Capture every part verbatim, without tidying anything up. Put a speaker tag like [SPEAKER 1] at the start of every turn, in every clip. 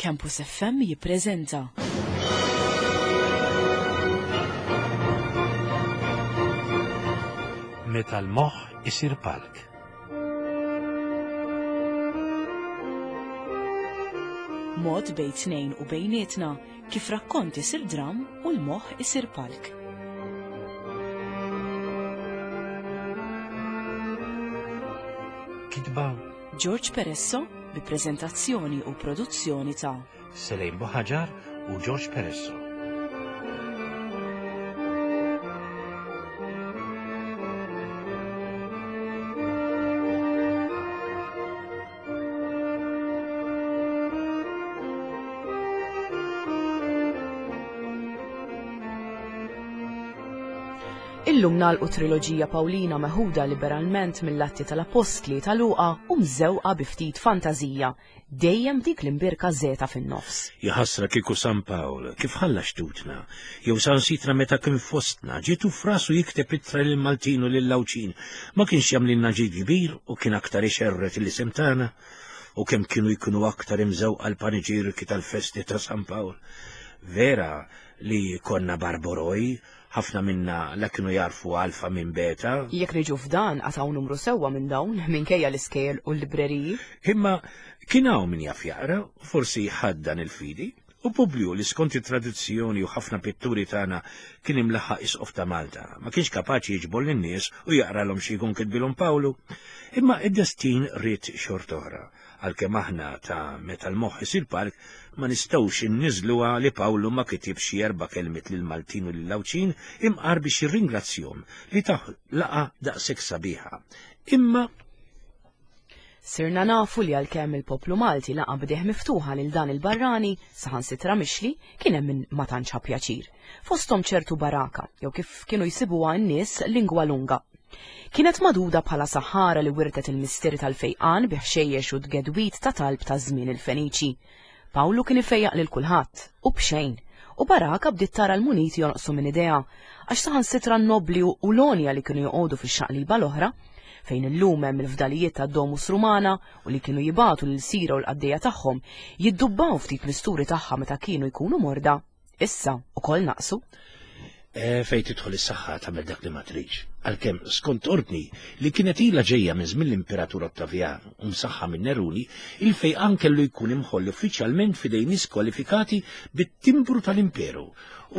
[SPEAKER 1] Campus F M jippreżenta
[SPEAKER 2] Meta l-moħħ isir palk.
[SPEAKER 1] Mod bejn tnejn u bejnietna kif rakkont isir dram u l-moħħ isir palk.
[SPEAKER 2] Kitba
[SPEAKER 1] George Peresso bi preżentazzjoni u produzzjoni ta'
[SPEAKER 2] Selejn Buħaġar u George Peresso.
[SPEAKER 1] Illum nagħlqu triloġija Pawlina meħuda liberalment mill-Atti tal-Apostli ta' Luqa u mżewqa bi ftit fantażija, dejjem dik l-imbirka żeta fin-nofs.
[SPEAKER 2] Jaħasra kieku San Pawl, kif ħalla xtutna, jew San Sitra meta kien fostna, ġietu frasu jikteb ittra lil Maltin u lil Għawdxin, ma kienx jagħmlilna ġid kbir u kien aktar ixerret l-isem tagħna, u kemm kienu jkunu aktar imżewqa l-paniġirki tal-festi ta' San Pawl. Vera li konna barboroj, ħafna minna la kienu jarfu alfa minn beta.
[SPEAKER 1] Jekk niġu f'dan għataw numru sewwa minn dawn, minkejja l-iskejjel u l-libreriji.
[SPEAKER 2] Imma kien hawn min jaf jaqra, forsi ħaddan il-fidi, u Publiju li skont it-tradizzjoni u ħafna pitturi tagħna kien imlaħħaq isqof ta' Malta, ma kienx kapaċi jiġbor lin-nies u jaqralhom xi jkun kitbilhom Pawlu. Imma id-destin ried xorta oħra. Għalkemm aħna ta' meta l-moħħ isir park, ma nistgħux inniżluha li Pawlu ma kitibx xi erba' kelmiet lil Maltin u lil Għawdxin imqar biex jirringrazzjahom li taw laqa daqshekk sabiħa. Imma
[SPEAKER 1] Sirna nafu li għalkemm il-poplu Malti laqa b'deh miftuħa lil dan il-barrani, saħansitra mixli, kien hemm min ma tantx ħa pjaċir. Fosthom ċertu baraka, jew kif kienu jsibuha n-nies lingwa lunga. Kienet maduda bħala saħħara li wirtet il-misteri tal-fejqan bi ħxejjex u tgedwit ta' talb ta' żmien il-Feniċi. Pawlu kien ifejjaq lil kulħadd u b'xejn, u Baraka bdiet tara l-muniti jonqsu minn idea, għax saħansitra n-nobli u l-onja li kienu joqogħdu fix-xaqliba l-oħra, fejn illum hemm il-fdalijiet ta' Domus Rumana u li kienu jibatu lil Sira u l-qaddejja tagħhom jiddubbaw ftit misturi tagħha meta kienu jkunu morda, issa ukoll naqsu.
[SPEAKER 2] E, fejn tidħol is-saħħa tagħmel dak li ma tridx. Għalkemm skont ordni li kienet ilha ġejja minn żmien l-Imperatur Ottavian u msaħħa minn Neruni, il-fejqan kellu jkun imħoll uffiċjalment f'idejn nies kwalifikati bit-timbru tal-imperu.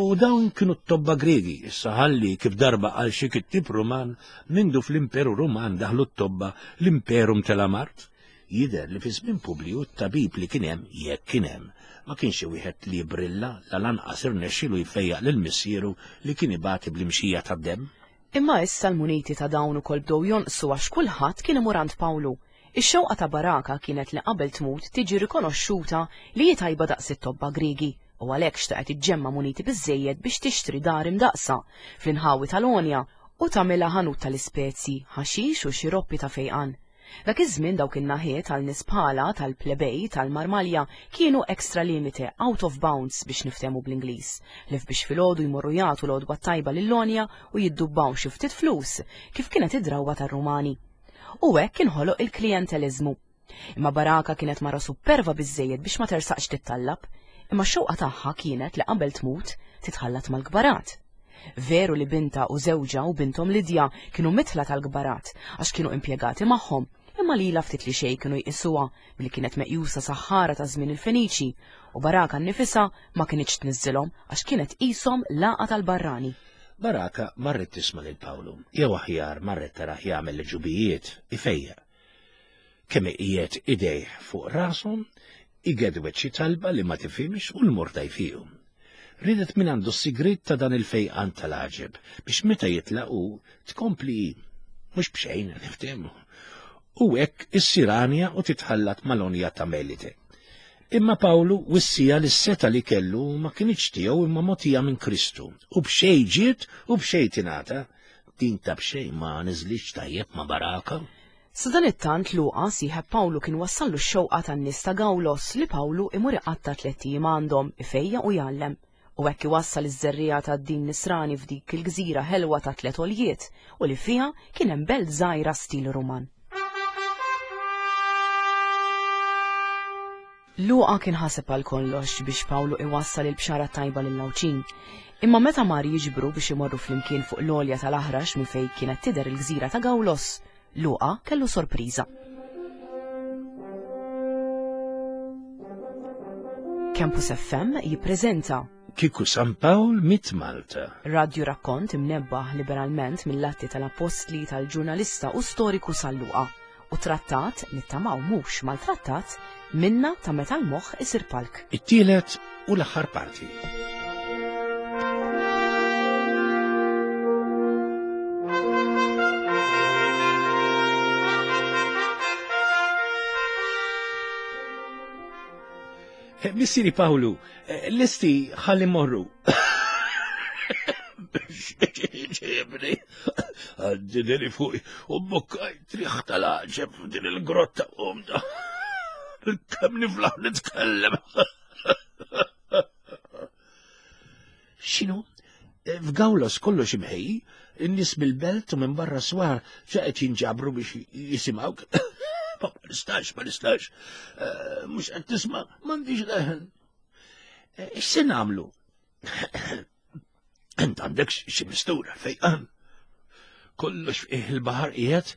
[SPEAKER 2] U dawn kienu t-tobba Gregi, issa ħalli kif darba għal xi kittib Ruman, mindu fl-Imperu Ruman daħlu t-tobba l-Imperum tal-Amart. Jidher li fi żmien Publiju t-tabib li kien hemm, jekk kien hemm, ma kienx xi wieħed li jibrilla la lanqas irnexxielu jfejjaq lil missieru li kien ibati bl-imxija tad-demm.
[SPEAKER 1] Imma issa l-muniti ta' dawn ukoll bdew jonqsu għax kulħadd kien imur għand Pawlu. Ix-xewqa ta' Baraka kienet li qabel tmut tiġi rikonoxxuta li hi tajba daqs it-tobba Griegi u għalhekk xtaqet iġġemma' muniti biżżejjed biex tixtri dar imdaqsa fl-inħawi tal-Onja u tagħmilha ħanut tal-ispezji, ħaxix u xiroppi ta' fejqan. Dak iż-żmien dawk in-naħiet għal nies bħala tal-plebej tal-Marmalja kienu extra limite, out of bounds biex niftehmu bl-Ingliż, li biex filgħodu jmorru jagħtu l-għodwa tajba lil-Lonja u jiddubbaw xi ftit flus kif kienet id-drawwa tar-Rumani. U hekk inħoloq il-klijenteliżmu. Imma Baraka kienet mara superva biżżejjed biex ma tersaqx tittallab, imma x-xewqa tagħha kienet li qabel tmut titħallat mal-kbarat. Veru li binta u żewġha u binthom Lidja kienu mitla tal-kbarat għax kienu impjegati magħhom, imma lila ftit li xejn kienu jqisuha billi kienet meqjusa saħħara ta' żmien il-Feniċi u Baraka nnifisha ma kinitx tniżżilhom għax kienet qishom laqgħa tal-barrani.
[SPEAKER 2] Baraka marret tisma' lil Pawlu, jew aħjar marret tarah jagħmel l-ġubijiet ifejjaq. Kemm iqiegħed idejh fuq rashom, igedwet xi talba li ma tifhimx u l-morda jfiequ. Ridet minn għandu s-sigriet ta' dan il-fejqan tal-għaġeb biex meta jitlaqu tkompli mhux b'xejn niftehmu. U hekk issir għanja u titħallat mal-onja ta' Melite. Imma Pawlu wissija li s-seta li kellu ma kinitx tiegħu imma mogħtija minn Kristu u b'xejn ġiet u b'xejn tingħata. Din ta' b'xejn ma niżlitx tajjeb ma' Baraka.
[SPEAKER 1] Sadanittant Luqa sieħeb Pawlu kien wassallu x-xewqa tan-nies ta' Gawlos li Pawlu imur iqatta' tliet ijiem għandhom ifejja u jgħallem. U hekk iwassal iż-żerriegħa tad-din nisrani f'dik il-gżira ħelwa ta' tliet għoljiet u li fiha kien hemm belt żgħira stil Ruman. Luqa kien ħaseb għal kollox biex Pawlu iwassal il-bxara tajba lill-Għawdxin. Imma meta mar jiġbru biex imorru flimkien fuq l-għolja tal-Aħrax minn fejn kienet tidher il-gżira ta' Gawlos, Luqa kellu sorpriża. Campus F M jippreżenta
[SPEAKER 2] Kieku San Pawl mit Malta.
[SPEAKER 1] Radju rakkont imnebbaħ liberalment mill-atti tal-apostli tal-ġurnalista u storiku San Luqa u trattat nittamaw mhux maltrattat minna ta' meta l-moħħ isir palk.
[SPEAKER 2] It-tielet u l-aħħar parti. Missieri Pawlu, lesti ħalli morru. Ġibni, għaddidili fuqi, u bukkaj triħ tal-ħġeb f'din il-grotta umda. Kemm niflaħ nitkellem. X'inhu? F'Gawlos kollox imħejji, in-nies mill-belt u minn barra swar ġa qed jinġabru biex jisimgħuk. Ma nistax, ma nistax. Mhux qed tisma', m'għandix leħen. X'se nagħmlu? Int għandek xi mistura fejqan. Kollox fih il-baħar qiegħed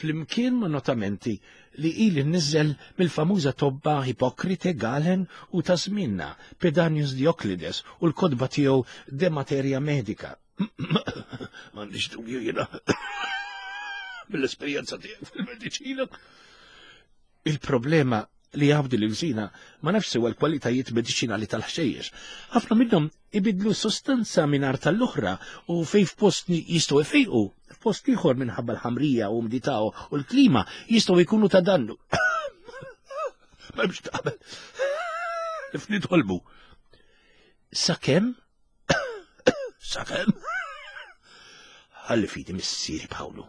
[SPEAKER 2] flimkien ma' notamenti li ili nniżel mill-famuża tobba Hipokrite, Galen u ta' żmienna Pedanius Dioklides u l-kotba tiegħu De Materia Medica. M'għandix dubju jiena mill-esperjenza tiegħek fil-mediċina. Il-problema li għabdi l-gżina ma nafx sewa l-kwalitajiet mediċinali tal-ħxejjex. Ħafna minnhom ibidlu sostanza minn art tal-oħra u fej f'post jistgħu ifejqu, f'post ieħor minħabba l-ħamrija u umdità u l-klima jistgħu jkunu ta' dannu. M'hemmx taqbel. Nitolbu. Sakemm? Sakemm? Ħalli fidi missieri Pawlu,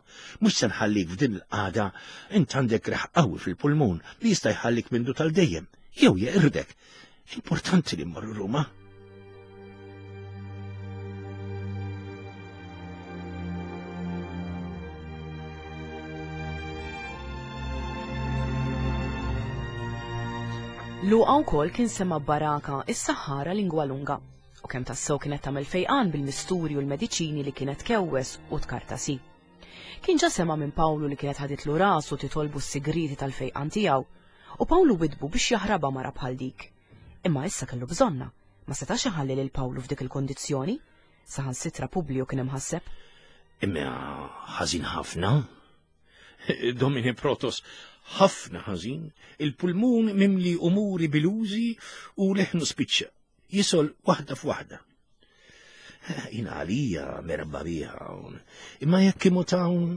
[SPEAKER 2] mhux se nħallik f'din il-qagħda, int għandek reħ qawwi fil-pulmun li jista' jħallik mindu tal-dejjem, jew jeqirdek. Importanti li mmorru Ruma.
[SPEAKER 1] Luqa wkoll kien sema' Baraka is-saħħara lingwa lunga. U kemm tassew kienet tagħmel fejqan bil-misturi u l-mediċini li kienet kewwes u tkartasi. Kien ġa sema' minn Pawlu li kienet ħaditlu rasu titolbu s-sigriti tal-fejqan tiegħu, u Pawlu widbu biex jaħrabha mara bħal dik. Imma issa kellu bżonna, ma setax iħalli lil Pawlu f'dik il-kondizzjoni, saħansitra Publiju kien imħasseb.
[SPEAKER 2] Imma ħażin ħafna. Domine Protos, ħafna ħażin, il-pulmun mimli umuri bilużi u leħnu spiċċa. Jisol waħda f'waħda. Jina għalija merba biha hawn. Imma jekk imut hawn,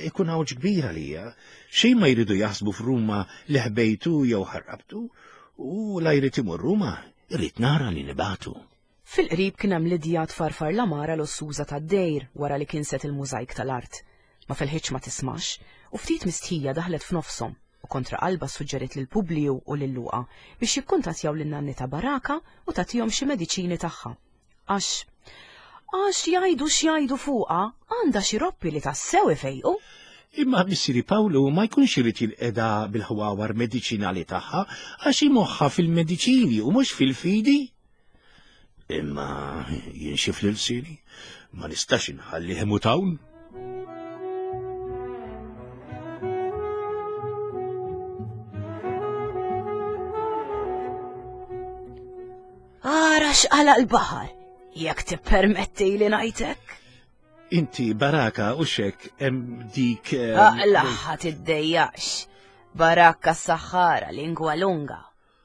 [SPEAKER 2] ikun hawn kbir għalija. Xejn ma jridu jaħsbu f'Ruma li ħbejtu jew ħarrabtu, u la jrid imur Ruma, irrid nara li nibatu.
[SPEAKER 1] Fil-qrib kien hemm Lidja tfarfar l-amara l-ossuża tad-dejr wara li kinset il-mużajk tal-art. Ma felħitx ma tismax, u ftit mistħija daħlet f'nofshom u kontra qalba suġġerit lil Publiju u lil Luqa biex jikkuntattjaw lil nanni ta' Baraka u tagħtihom xi mediċini tagħha. Għax għax jgħidu x'jgħidu fuqha għandha xi roppi li tassew ifejqu.
[SPEAKER 2] Imma missieri Pawlu ma jkunx irid jinqeda bil-ħwawar mediċinali tagħha għax imoħħa fil-mediċini u mhux fil-fidi. Imma jinxif lil sini, ma nistax inħallih imut hawn.
[SPEAKER 1] Ara x'qala l-baħar, jekk tippermetti li ngħidlek.
[SPEAKER 2] Inti Baraka u xek hemm dik.
[SPEAKER 1] Aqlaħ tiddejjax. Baraka s-saħħara lingwa lunga.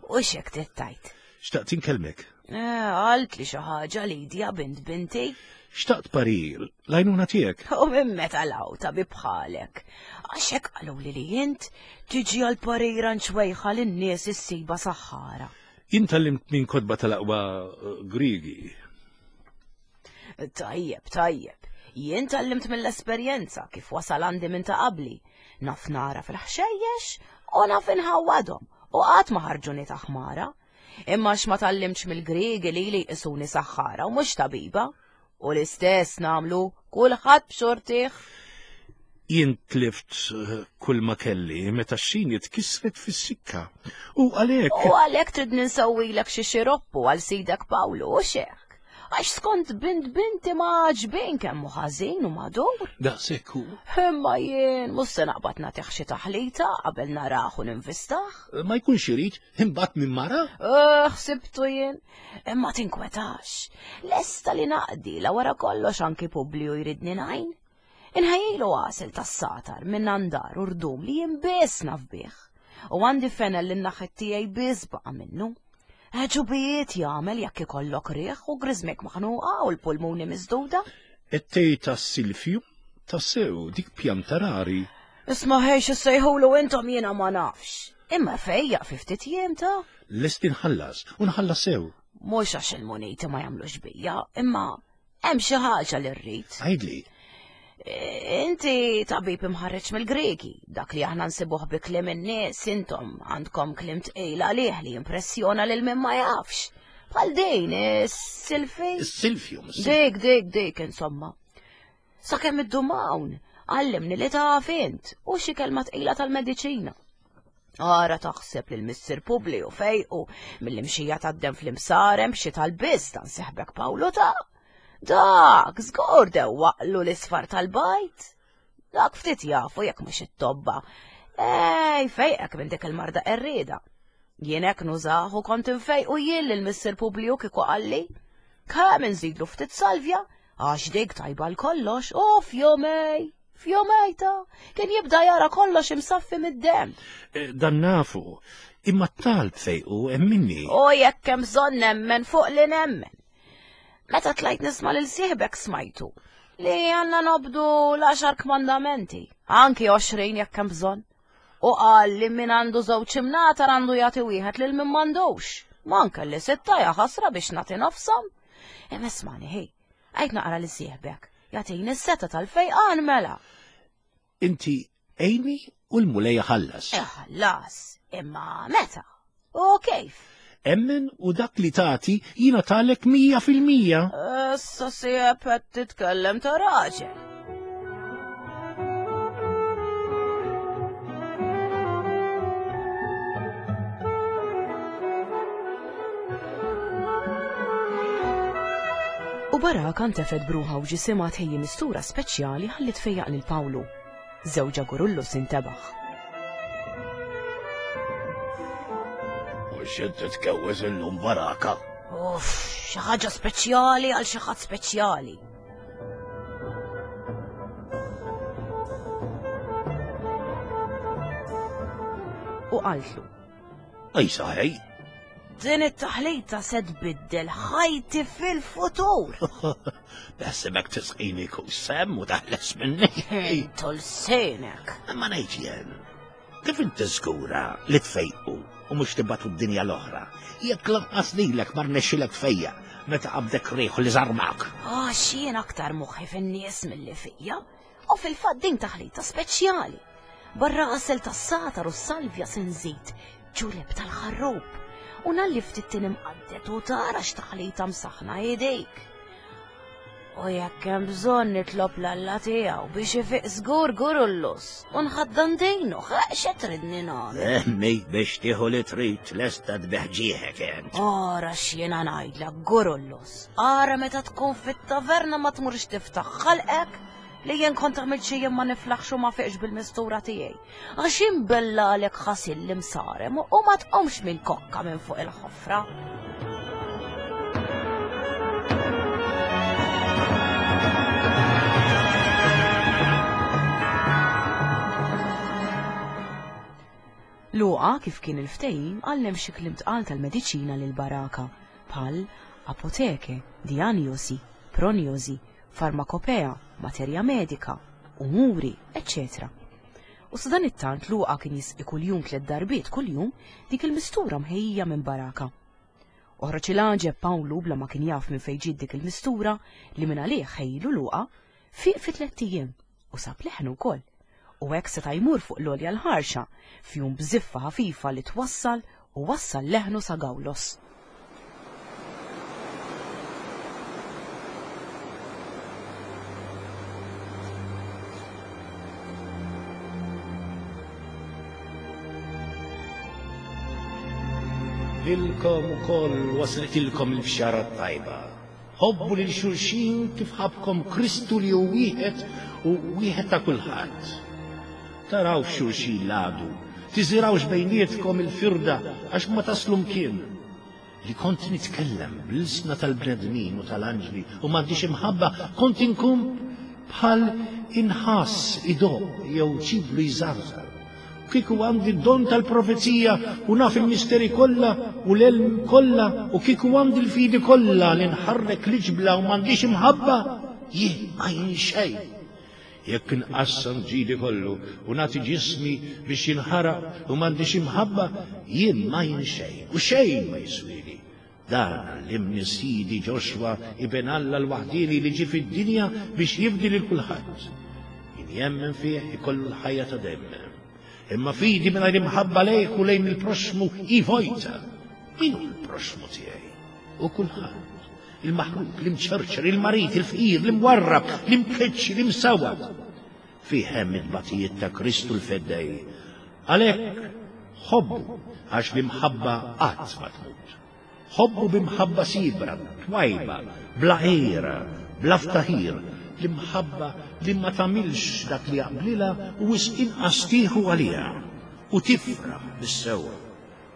[SPEAKER 1] U xek tittajt.
[SPEAKER 2] Xtaqt inkellmek.
[SPEAKER 1] Għalt li xi ħaġa Lidja bint binti.
[SPEAKER 2] Xtaqt parir, l-għajnuna tiegħek.
[SPEAKER 1] U minn meta lawta bi bħalek. Għax hekk qaluli li int tiġi għal parir nxwejħa lin-nies issiba saħħara.
[SPEAKER 2] Jien tgħallimt minn kotba tal-aqwa Griegi.
[SPEAKER 1] Tajjeb, tajjeb. Jien tgħallimt mill-esperjenza kif wasal għandi minn ta' qabli. Naf nara fil-ħxejjex u naf inħawwadhom u qatt ma ħarġuni ta' ħmara. Imma x'ma tgħallimtx mill-Griegi li li jqisuni saħħara u mhux tabiba. U l-istess nagħmlu kulħadd b'xortih.
[SPEAKER 2] Jien tlift eh, kull ma kelli meta x-xini tkissret fis-sikka. U għalhekk.
[SPEAKER 1] U għalhekk trid ninsewwilek xi xiroppu għal sidek Pawlu u xek. Għax skont bint binti ma għaġbin kemm hu ħażin u madur.
[SPEAKER 2] Daqshekk hu.
[SPEAKER 1] Imma jien mhux se naqbad nagħtih xi taħlita qabel narah u ninvistah.
[SPEAKER 2] Ma jkunx irid imbagħad minn mara?
[SPEAKER 1] Eh, ħsibtu jien. Imma tinkwetax. Lesta li naqdi la wara kollox anki Publiju jridni ngħin. Inħejjilu għasel tas-satar minn andar u rdum li jien biss naf bih. U għandi fenel li n-naħet tiegħi biss baqa' minnu. Ġubijiet jagħmel jekk ikollok riħ u griżmek maħnuqa u l-pulmuni miżduda.
[SPEAKER 2] Et-tej tas-silfju tassew dik pjanta rari.
[SPEAKER 1] Isma' ħejx issejħulu intom jiena ma nafx. Imma fejjaq fi ftit jiem ta'
[SPEAKER 2] Lest inħallas u nħallas sew.
[SPEAKER 1] Mhux għax il-muniti ma jagħmlux bija, imma hemm xi ħaġa li rrid.
[SPEAKER 2] Għidli,
[SPEAKER 1] Inti tabib imħarreġ mill-Greki, dak li aħna nsibuh bi kliem in-nies, intom għandkom kliem tqil għalih li jimpressjona lil min ma jafx. Bħal din, is-silfi.
[SPEAKER 2] is-silfjum.
[SPEAKER 1] Dik, dik, dik, insomma. Sakemm iddum hawn, għallimni li taf int u xi kelma tqila tal-mediċina. Ara taħseb li l-Missir Publiju fejqu mill-imxija tad-dem fl-imsarem xi tal-biss ta' nseħbek Pawlu ta' Dak, żgur dewwaqlu l-isfar tal-bajt. Dak ftit jafu jekk mhux it-tobba. Ej, fejqek minn dik il-marda qerrieda. Jien hekk nużah u kont infejqu jien lil Missir Publiju kieku qalli. Kemm inżidlu ftit salvja, għax dik tajba l-kollox, u f'jumej, f'jumej ta' kien jibda jara kollox imsaffi mid-dem.
[SPEAKER 2] Eh, Dan nafu, imma t-talb fejqu hemm minni.
[SPEAKER 1] U jekk hemm bżonn nemmen fuq li nemmen. Meta tlajt nisma' lil sieħbek smajtu li għandna nobdu l-għaxar kmandamenti, anki għoxrin jekk hemm bżonn. U qal li min għandu żewġ imnatar għandu jagħti wieħed lil min m'għandux. Ma anke li sitta ja ħasra biex nagħti nofshom. Imma ismani ħej, għajt naqra li sieħbek, jagħtini s-seta tal-fejqan mela.
[SPEAKER 2] Inti għinni u l-Mulej ħallas.
[SPEAKER 1] Ħallas, imma meta? U kif?
[SPEAKER 2] Emmen u dak li tagħti jiena talek mija fil-mija.
[SPEAKER 1] Issa sieb qed titkellem ta' raġel. U Baraka ntefet bruħa u ġisimha tħejji mistura speċjali ħalli tfejjaq lil Pawlu. Żewġha Gurullus intebaħ.
[SPEAKER 2] U x'qed titkewwes illum Baraka?
[SPEAKER 1] Uff, xi ħaġa speċjali għal xi ħadd speċjali. U qaltlu,
[SPEAKER 2] Ej saħej,
[SPEAKER 1] din it-taħlita se tbiddel ħajti fil-futur.
[SPEAKER 2] beħsibek tisqini kus sem u taħles minni.
[SPEAKER 1] Intu l-senek.
[SPEAKER 2] Ma ngħid jien, kif inti żgura li tfejqu u mhux tibatu d-dinja l-oħra, jekk lanqas lilek ma rnexxilek tfejjaq meta qabdek riħu li żarmak.
[SPEAKER 1] Għax jien aktar moħħi fin-nies milli fija, u fil-fatt din taħlita speċjali. Barra għasel tas-satar u s-salvja se nżid ġuleb tal-ħarrub u nalli ftit tin imqaddet u tara x'taħlita msaħna idejk. U jekk hemm bżonn nitlob l-Alla tiegħu biex ifiq żgur Gurullus u nħaddan dejnu x'qed tridni nagħmel.
[SPEAKER 2] Emmi biex tieħu li trid lesta tbeħ ġieħek int.
[SPEAKER 1] Ara x'jiena ngħidlek Gurullus, ara meta tkun fit-taverna ma tmurx tiftaħ ħalqek li jien kont għamilt xi jien ma niflaħx u ma fiqx bil-mistura tiegħi. Għax imbellalek ħasil l-imsarem u ma tqomx minn kokka minn fuq il-ħofra. Luqa kif kien il-ftehim għallem xi kliem tqal tal-mediċina lil Baraka bħal apoteke, diagnosi, prognosi, farmakopea, materja medika, umuri, eċċetera. U sadan it-tant Luqa kien jisqi kuljum tliet darbiet kuljum dik il-mistura mħejja minn Baraka. Oħroġ il-għaġeb Pawlu bla ma kien jaf minn fejn ġiet dik il-mistura li minn għalih ħejlu Luqa fiq fi tlett ijiem u sab leħnu wkoll. U hekk seta' jmur fuq l-għolja l-ħarxa f'jum bżiffa ħafifa li twassal u wassal leħnu sa Gawlos.
[SPEAKER 2] Lilkom ukoll waslitilkom il-bxara tajba. Ħobbu lil xulxin kif ħabkom Kristu li hu wieħed u wieħed ta' kulħadd. Taraw f'xulxin l-għadu, tiżirawx bejnietkom il-firda għax ma taslu mkien. Li kont nitkellem bl-ilsna tal-bnedmin u tal-anġli u m'għandix imħabba, kont inkun bħal inħass idoq jew ċiblu jżarżar. Kieku għandi d-don tal-profezija u naf il-misteri kollha u l-elm kollha u kieku għandi l-fidi kollha li nħarrek l-ġbla u m'għandix imħabba, jien ma jien xejn. Jekk inqassam ġidi kollu u nagħti ġismi biex jinħaraq u m'għandix imħabba, jien ma jien xejn u xejn ma jiswili. Dan għallimni Sidi Ġoxwa ibn Alla l-waħdieni li ġie fid-dinja biex jifdi lil kulħadd. Min jemmen fih ikollu l-ħajja ta' dejjem. Imma fidi mingħajr imħabba lejk u lejn il-proxmu hi vojta. Min hu l-proxmu tiegħi? U kulħadd. Il-maħrub, l-imċerċer, il-marit, il-fqir, l-imwarrab, l-imkeċċi, l-imsawat. Fih hemm it-tbatijiet ta' Kristu l-Feddej. Għalhekk ħobbu għax l-imħabba qatt ma tmut. Ħobbu b'imħabba sibra, twajba, bla għira, bla ftaħir, l-imħabba li ma tagħmilx dak li jaqblilha u wisq inqas tieħu għaliha u tifraħ bis-sewwa.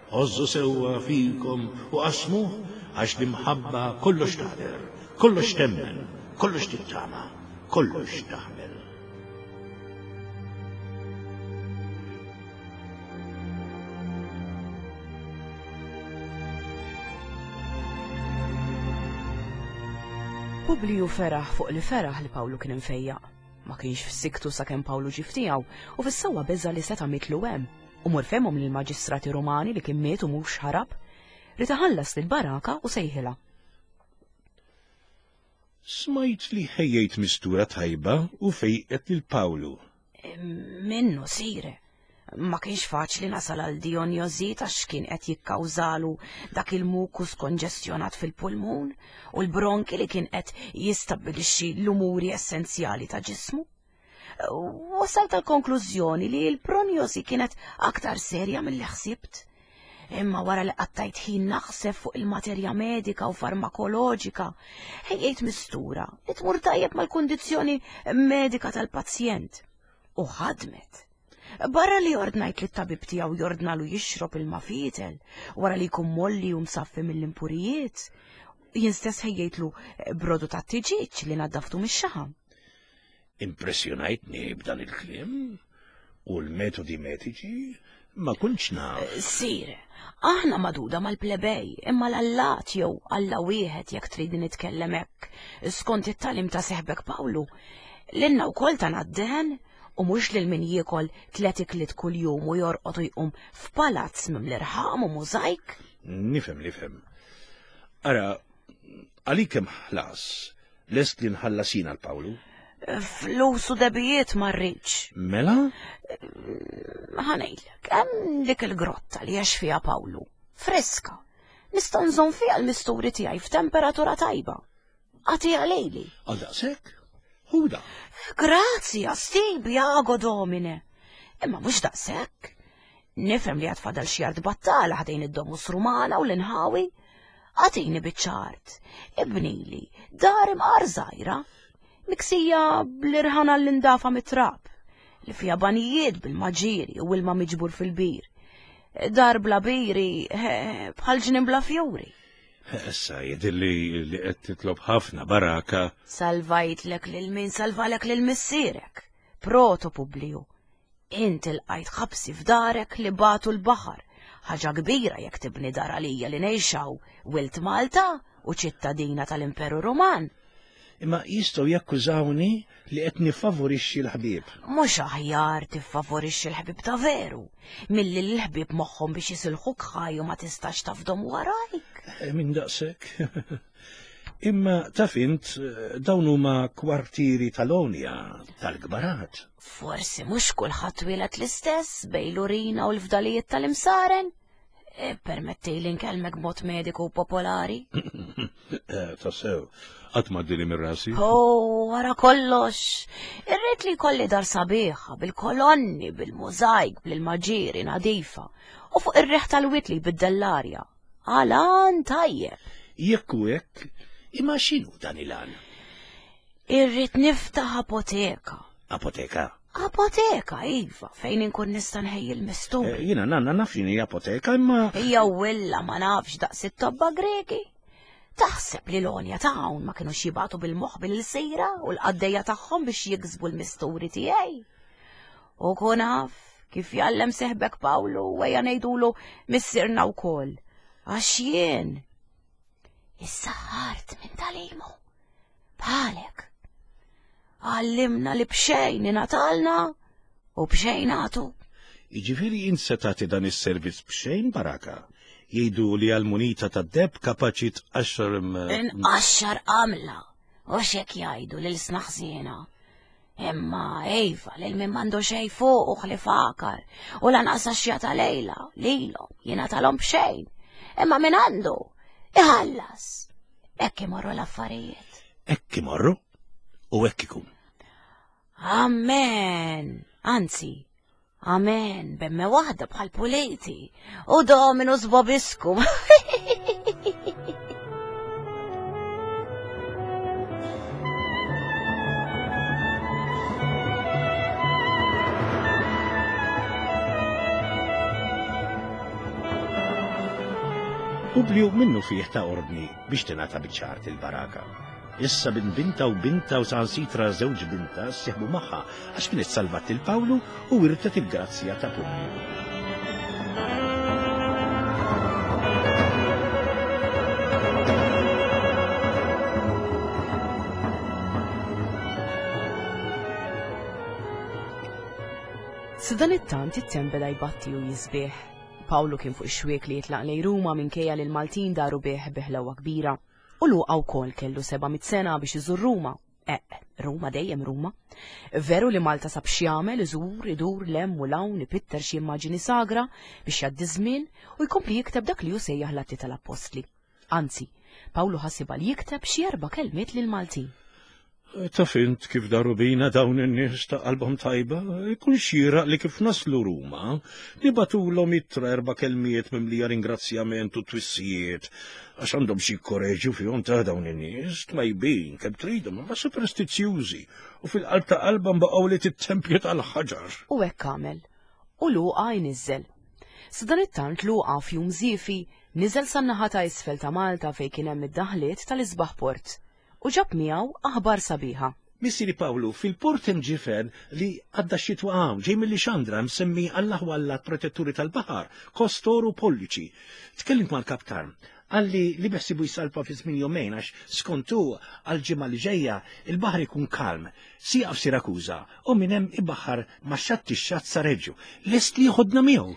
[SPEAKER 2] Għożżu sewwa fikom u qasmuh għax l-imħabba kollox taħder, kollox temmen, kollox tittama, kollox taħmel.
[SPEAKER 1] Publiju feraħ fuq li feraħ li Pawlu kien imfejjaq. Ma kienx f'siktu sakemm Pawlu ġie f'tiegħu u fis-sewwa beża' li seta' mitlu hemm. U mur fehmhom lill-maġistrati Rumani li kien miet u mhux ħarab. Rid iħallas lil Baraka u sejħilha.
[SPEAKER 2] Smajt li ħejjejt mistura tajba u fejqet lil Pawlu.
[SPEAKER 1] Minnu sire. Ma kienx faċli nasal għal diagnosi għax kien qed jikkawżalu dak il-mukus konġestjonat fil-pulmun u l-bronki li kien qed jistabbilixxi l-umuri essenzjali ta' ġismu. Wasalt għal konklużjoni li l-prognosi kienet aktar serja milli ħsibt. Imma wara li qattajt ħin naħseb fuq il-materja medika u farmakoloġika, ħejjejt mistura li tmur tajjeb mal-kundizzjoni medika tal-pazjent. U ħadmet. Barra li ordnajt li t-tabib tiegħu jordnalu jixrob il-mafitel wara li jkun molli u msaffi mill-impurijiet. Jien stess ħejjejtlu brodu ta' tiġiġ li naddaftu mix-xaħam.
[SPEAKER 2] Impressjonajtni b'dan il-kliem u l-metodi mediċi ma kontx naf.
[SPEAKER 1] Sire, aħna maduda mal-plebej, imma l-allat jew alla wieħed jekk trid nitkellem hekk, skont it-tagħlim ta' seħbek Pawlu. Lilna wkoll ta' d-dehen u mhux lil min jiekol tliet ikliet kuljum u jorqod u jqum f'palazz mimli rħam u mużajk.
[SPEAKER 2] Nifhem, nifhem. Ara, għalik hemm ħlas, lest li nħallas jien għal Pawlu?
[SPEAKER 1] Flus u debijiet ma rridx.
[SPEAKER 2] Mela?
[SPEAKER 1] Ħa ngħidlek, hemm dik il-grotta li għex fiha Pawlu. Friska. Nista' nżomm fiha l-misturi tiegħi f'temperatura tajba. Agħtiha lili.
[SPEAKER 2] Għal daqshekk? Ħuda.
[SPEAKER 1] Grazzi, stibi, ago domine. Imma mhux daqshekk. Nifhem li għad fadal xi art battala ħdejn id-Domus Rumana u l-inħawi. Agħtini biċċa art. Ibnili, dar imqar żgħira. Miksija bl-irħana l-indafa mit-trab, li fija banijiet bil-maġiri u ilma miġbur fil-bir. Dar bla biri, bħal ġnien bla fjuri.
[SPEAKER 2] Issa jidhirli li qed titlob ħafna Baraka.
[SPEAKER 1] Salvajtlek lil min salvalek lil missierek, Proto Publiju. Int ilqajt ħabsi f'darek li batu l-baħar. Ħaġa kbira jekk tibni dar għalija li ngħixaw wilt Malta u ċittadina tal-Imperu Ruman.
[SPEAKER 2] Imma jistgħu jakkużawni li qed nifavorixxi l-ħbieb.
[SPEAKER 1] Mhux aħjar tiffavorixxi l-ħbieb ta' veru, milli l-ħbieb moħħhom biex jisilħuk ħaj u ma tistax tafdom warajk.
[SPEAKER 2] Min daqshekk. Imma taf int dawn huma kwartieri tal-Onja, tal-kbarat.
[SPEAKER 1] Forsi mhux kulħadd wieled l-istess bejn l-urina u l-fdalijiet tal-imsaren. Permettili nkellmek b'mod mediku popolari.
[SPEAKER 2] Tassew, qatt ma għaddili minn rasi.
[SPEAKER 1] Oh, wara kollox. Irrid li jkolli dar sabiħa, bil-kolonni, bil-mużajk, bil-maġiri nadifa, u fuq ir-riħ tal-wit li jbiddel l-arja.
[SPEAKER 3] Għal għan tajjeb.
[SPEAKER 2] Jekk hu hekk, imma x'inhu dan il-għan?
[SPEAKER 3] Irrid niftaħ apoteka.
[SPEAKER 2] Apoteka?
[SPEAKER 3] Apoteka, iva, fejn inkun nista' nħejji l-mistur.
[SPEAKER 2] Eh, jiena nanna naf x'inhi apoteka, imma.
[SPEAKER 3] Hija willa ma nafx daqs it-tobba Greki. Taħseb li l-għonja ta' hawn ma kinux jibgħatu bil-moħħ bil-sejra u l-qaddejja tagħhom biex jiksbu l-misturi tiegħi. U kun af kif jgħallem seħbek Pawlu u ejja ngħidulu missierna wkoll. Għax jien issaħħart minn talimu. Bħalek. Għallimna li b'xejn ingħatalna u b'xejn nagħtu.
[SPEAKER 2] Jiġifieri int se tagħti dan is-servizz b'xejn, Baraka? Jgħidu li għall-munita tad-deheb kapaċi tqaxxar
[SPEAKER 3] Inqaxxar qamla, u x'hekk jgħidu lil sna ħsiena. Imma iva lil min m'għandu xejn fuq u ħlief għakar, u lanqas għaxja ta' lejla, lilhom jingħatalhom b'xejn. Imma min għandu iħallas. Hekk imorru l-affarijiet.
[SPEAKER 2] Hekk imorru u hekk ikun.
[SPEAKER 3] Amen. Anzi, amen, bemme waħda bħal puliti. U Dominus vobiscum.
[SPEAKER 2] Publiju minnu fih ta' ordni biex tingħata biċ-ċart il-baraka. Issa bin binta u binta u sansitra żewġ binta sieħbu magħha għax kienet salvat il Pawlu u wirtet il-grazzja ta' Publiju.
[SPEAKER 1] Sadanittant it-temp beda jbatti u jisbieħ. Pawlu kien fuq ix-xwiek li jitlaq lejn Ruma minkejja li l-Maltin daru bih bi ħlewwa kbira. U Luqa wkoll kellu seba' mitt sena biex iżur Ruma. Eh, Ruma dejjem Ruma. Veru li Malta sab x'jagħmel, iżur, idur lem u lawn, ipitter xi immaġini sagra biex jgħaddi żmien u jkompli jikteb dak li hu sejjaħ l-Atti tal-Appostli. Anzi, Pawlu ħasibha li jikteb xi erba' kelmiet lil Maltin.
[SPEAKER 2] Taf int kif daru bina dawn in-nies ta' qalbhom tajba, ikun xieraq li kif naslu Ruma, nibatulhom ittra erba' kelmiet mimlija ringrazzjament u twissijiet, għax għandhom xi korreġu fihom ta' dawn in-nies, twajbin kemm tridhom, imma superstizzjużi u fil-qalb ta' qalbhom baqgħu li tit-tempju tal-ħaġar.
[SPEAKER 1] U hekk għamel. U Luqa jniżżel. Sadanittant Luqa f'jum żiefi niżel san-naħa ta' isfel ta' Malta fejn kien hemm id-daħliet tal-isbaħ port. U ġab miegħu aħbar sabiħa.
[SPEAKER 2] Missieri Pawlu, fil-port hemm ġifen li għadda x-xitwa hawn, ġej mill-Lixandra msemmi Allah u Allah protetturi tal-baħar, Kostor u Polliċi. Tkellimt mal-kaptan, qalli li beħsibu jsalpa fi żmien jumejn għax skontu għal-ġimgħa li ġejja il-baħar ikun kalm, sieqa f'Sirakuża u minn hemm ibaħar ma' xatt ix-xatt sa Reġġu. Lest li jħodna miegħu.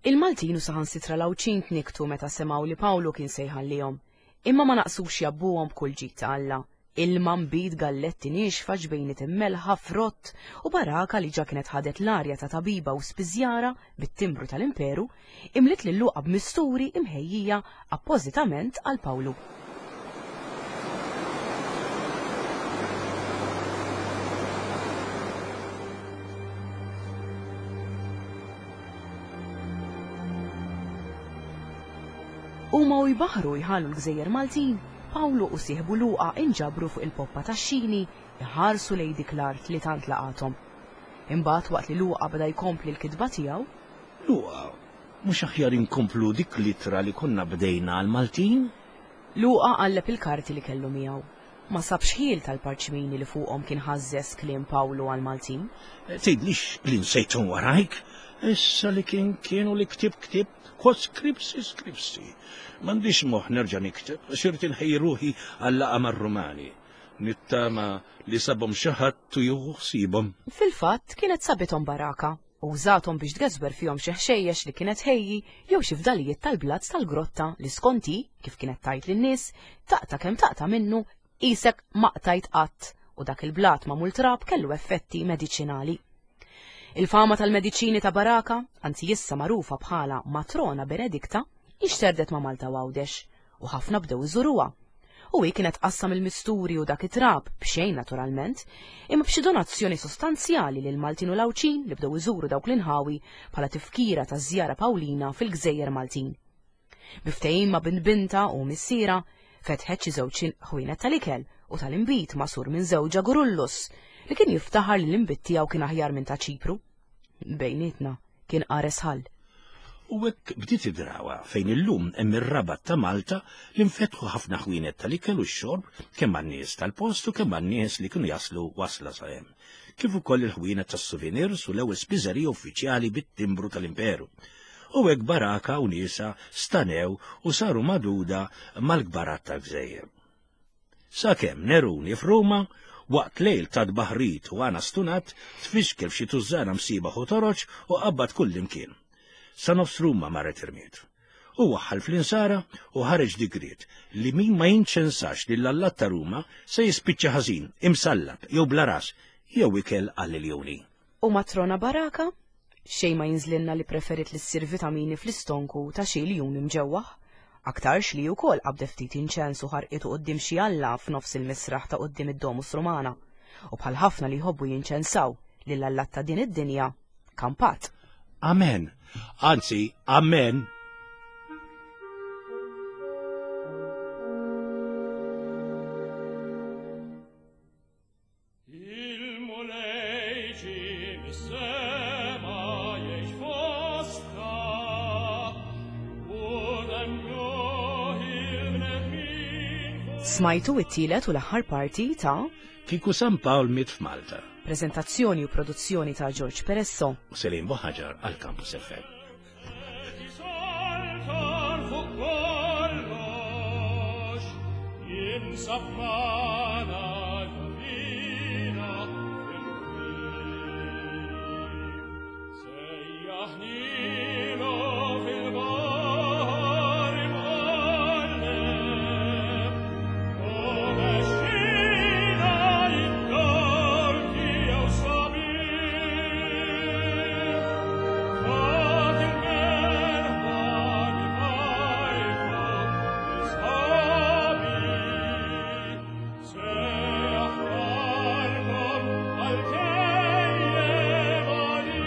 [SPEAKER 1] Il-Maltin u saħansitra l-Għawdxin tniktu meta semgħu li Pawlu kien se jħallihom. Imma ma naqsux jabbuhom b'kull ġid ta' Alla. Ilma mbid galletti nixfa ġbejniet immelħa frott u baraka li ġa kienet ħadet l-arja ta' tabiba u spiżjara bit-timbru tal-imperu imliet lil Luqa b'misturi imħejjija appożitament għal Pawlu. Huma u jbaħru jħallu l-Gżejjer Maltin, Pawlu u sieħbu Luqa inġabru fuq il-poppa tax-xini iħarsu lejn dik l-art li tant laqathom. Imbagħad waqt li Luqa beda jkompli l-kitba tiegħu,
[SPEAKER 2] Luqa, mhux aħjar inkomplu dik l-ittra li konna bdejna għall-Maltin?
[SPEAKER 1] Luqa qalleb il-karti li kellu miegħu. Ma sabx ħiel tal-parċmini li fuqhom kien ħażżes kliem Pawlu għall-Maltin.
[SPEAKER 2] Tgħidlix li nsejthom warajk? Issa li kien kienu li ktib ktib, quod scripsi scripsi. M'għandix moħħ nerġa' nikteb, għax irid inħejji ruħi għal-laqgħa mar-Rumani. Nittama li sabhom xi ħadd u jieħu ħsiebhom.
[SPEAKER 1] Fil-fatt kienet sabithom baraka u użathom biex tgeżwer fihom xi ħxejjex li kienet ħejji jew xi fdalijiet tal-blazz tal-grotta li skonti, kif kienet tajt lin-nies, taqta' kemm taqta' minnu qisek ma qtajt qatt u dak il-blat magħmul trab kellu effetti mediċinali. Il-fama tal-mediċini ta' Baraka, anzi issa magħrufa bħala Matrona Benedikta, ixterdet ma' Malta u Għawdex u ħafna bdew iżuruha. U hi kienet qassam il-misturi u dak it-trab, b'xejn naturalment, imma b'xi donazzjoni sostanzjali lil Maltin u l-Għawdxin li bdew iżuru dawk l-inħawi bħala tifkira taż-żjara Pawlina fil-Gżejjer Maltin. Bi ftehim ma' bint binta u missiera, fetħet xi żewġ ħwienet tal-ikel u tal-inbid magħsur minn żewġha Gurullus li kien jiftaħar li l-inbid tiegħu kien aħjar minn ta' Ċipru. Bejnietna kien qares ħall.
[SPEAKER 2] U hekk bdiet id-drawa fejn illum hemm ir-Rabat ta' Malta li nfetħu ħafna ħwienet tal-ikel u x-xorb kemm għan-nies tal-post u kemm għan-nies li kienu jaslu wasla sa hemm. Kif ukoll il-ħwienet tas-souvenirs u l-ewwel spiżerija uffiċjali bit-timbru tal-Imperu. U hekk Baraka u niesa stanew u saru maduda mal-kbarat tal-gżejjer. Sakemm Neruni f'Ruma, waqt lejl ta' tbaħrit u għana stunat, tfixkel f'xi tużżana msibaħ u toroġ u qabbad kullimkien. Sa nofs Ruma marret irmiet. U waħħal fl-insara u ħareġ digriet li min ma jinċensax lil allat ta' Ruma se jispiċċa ħażin, imsallab jew bla ras, jew ikel għall-iljuni.
[SPEAKER 1] U matrona Baraka? Xejn ma jinżlilna li preferit li ssir vitamini fl-istonku ta' xi ljun imġewwaħ. Aktarx li wkoll qabdet ftit inċens u ħarqitu quddiem xi alla f'nofs il-misraħ ta' quddiem id-Domus Romana. U bħal ħafna li jħobbu jinċensaw lil allat ta' din id-dinja, kampat.
[SPEAKER 2] Amen. Anzi, amen.
[SPEAKER 4] Il-Mulej ġie mis-sema jgħix fostna, u nemmnuh il-bnedmin fuq
[SPEAKER 1] Smajtu it-tielet u l-aħħar parti ta'
[SPEAKER 2] Kieku San Pawl miet f'Malta.
[SPEAKER 1] Prezentazzjoni u produzzjoni ta' George Peresso.
[SPEAKER 2] U Selim Buhaġar għal Campus F M.
[SPEAKER 4] Saltan fuq kollox, jinsab magħna ġovina fil-qrib. Sejjaħnilu fil-baħar imqalleb, u mexxina id-dar tiegħu sabiħ. Fat il-merħba kifajfa isħabi, se aħbarkom għal-kejjem għalih.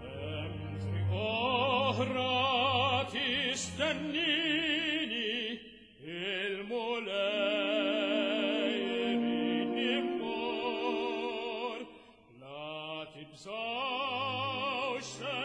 [SPEAKER 4] Hemm triq oħra tistennini, il-Mulej iridni mmur. La tibżgħux se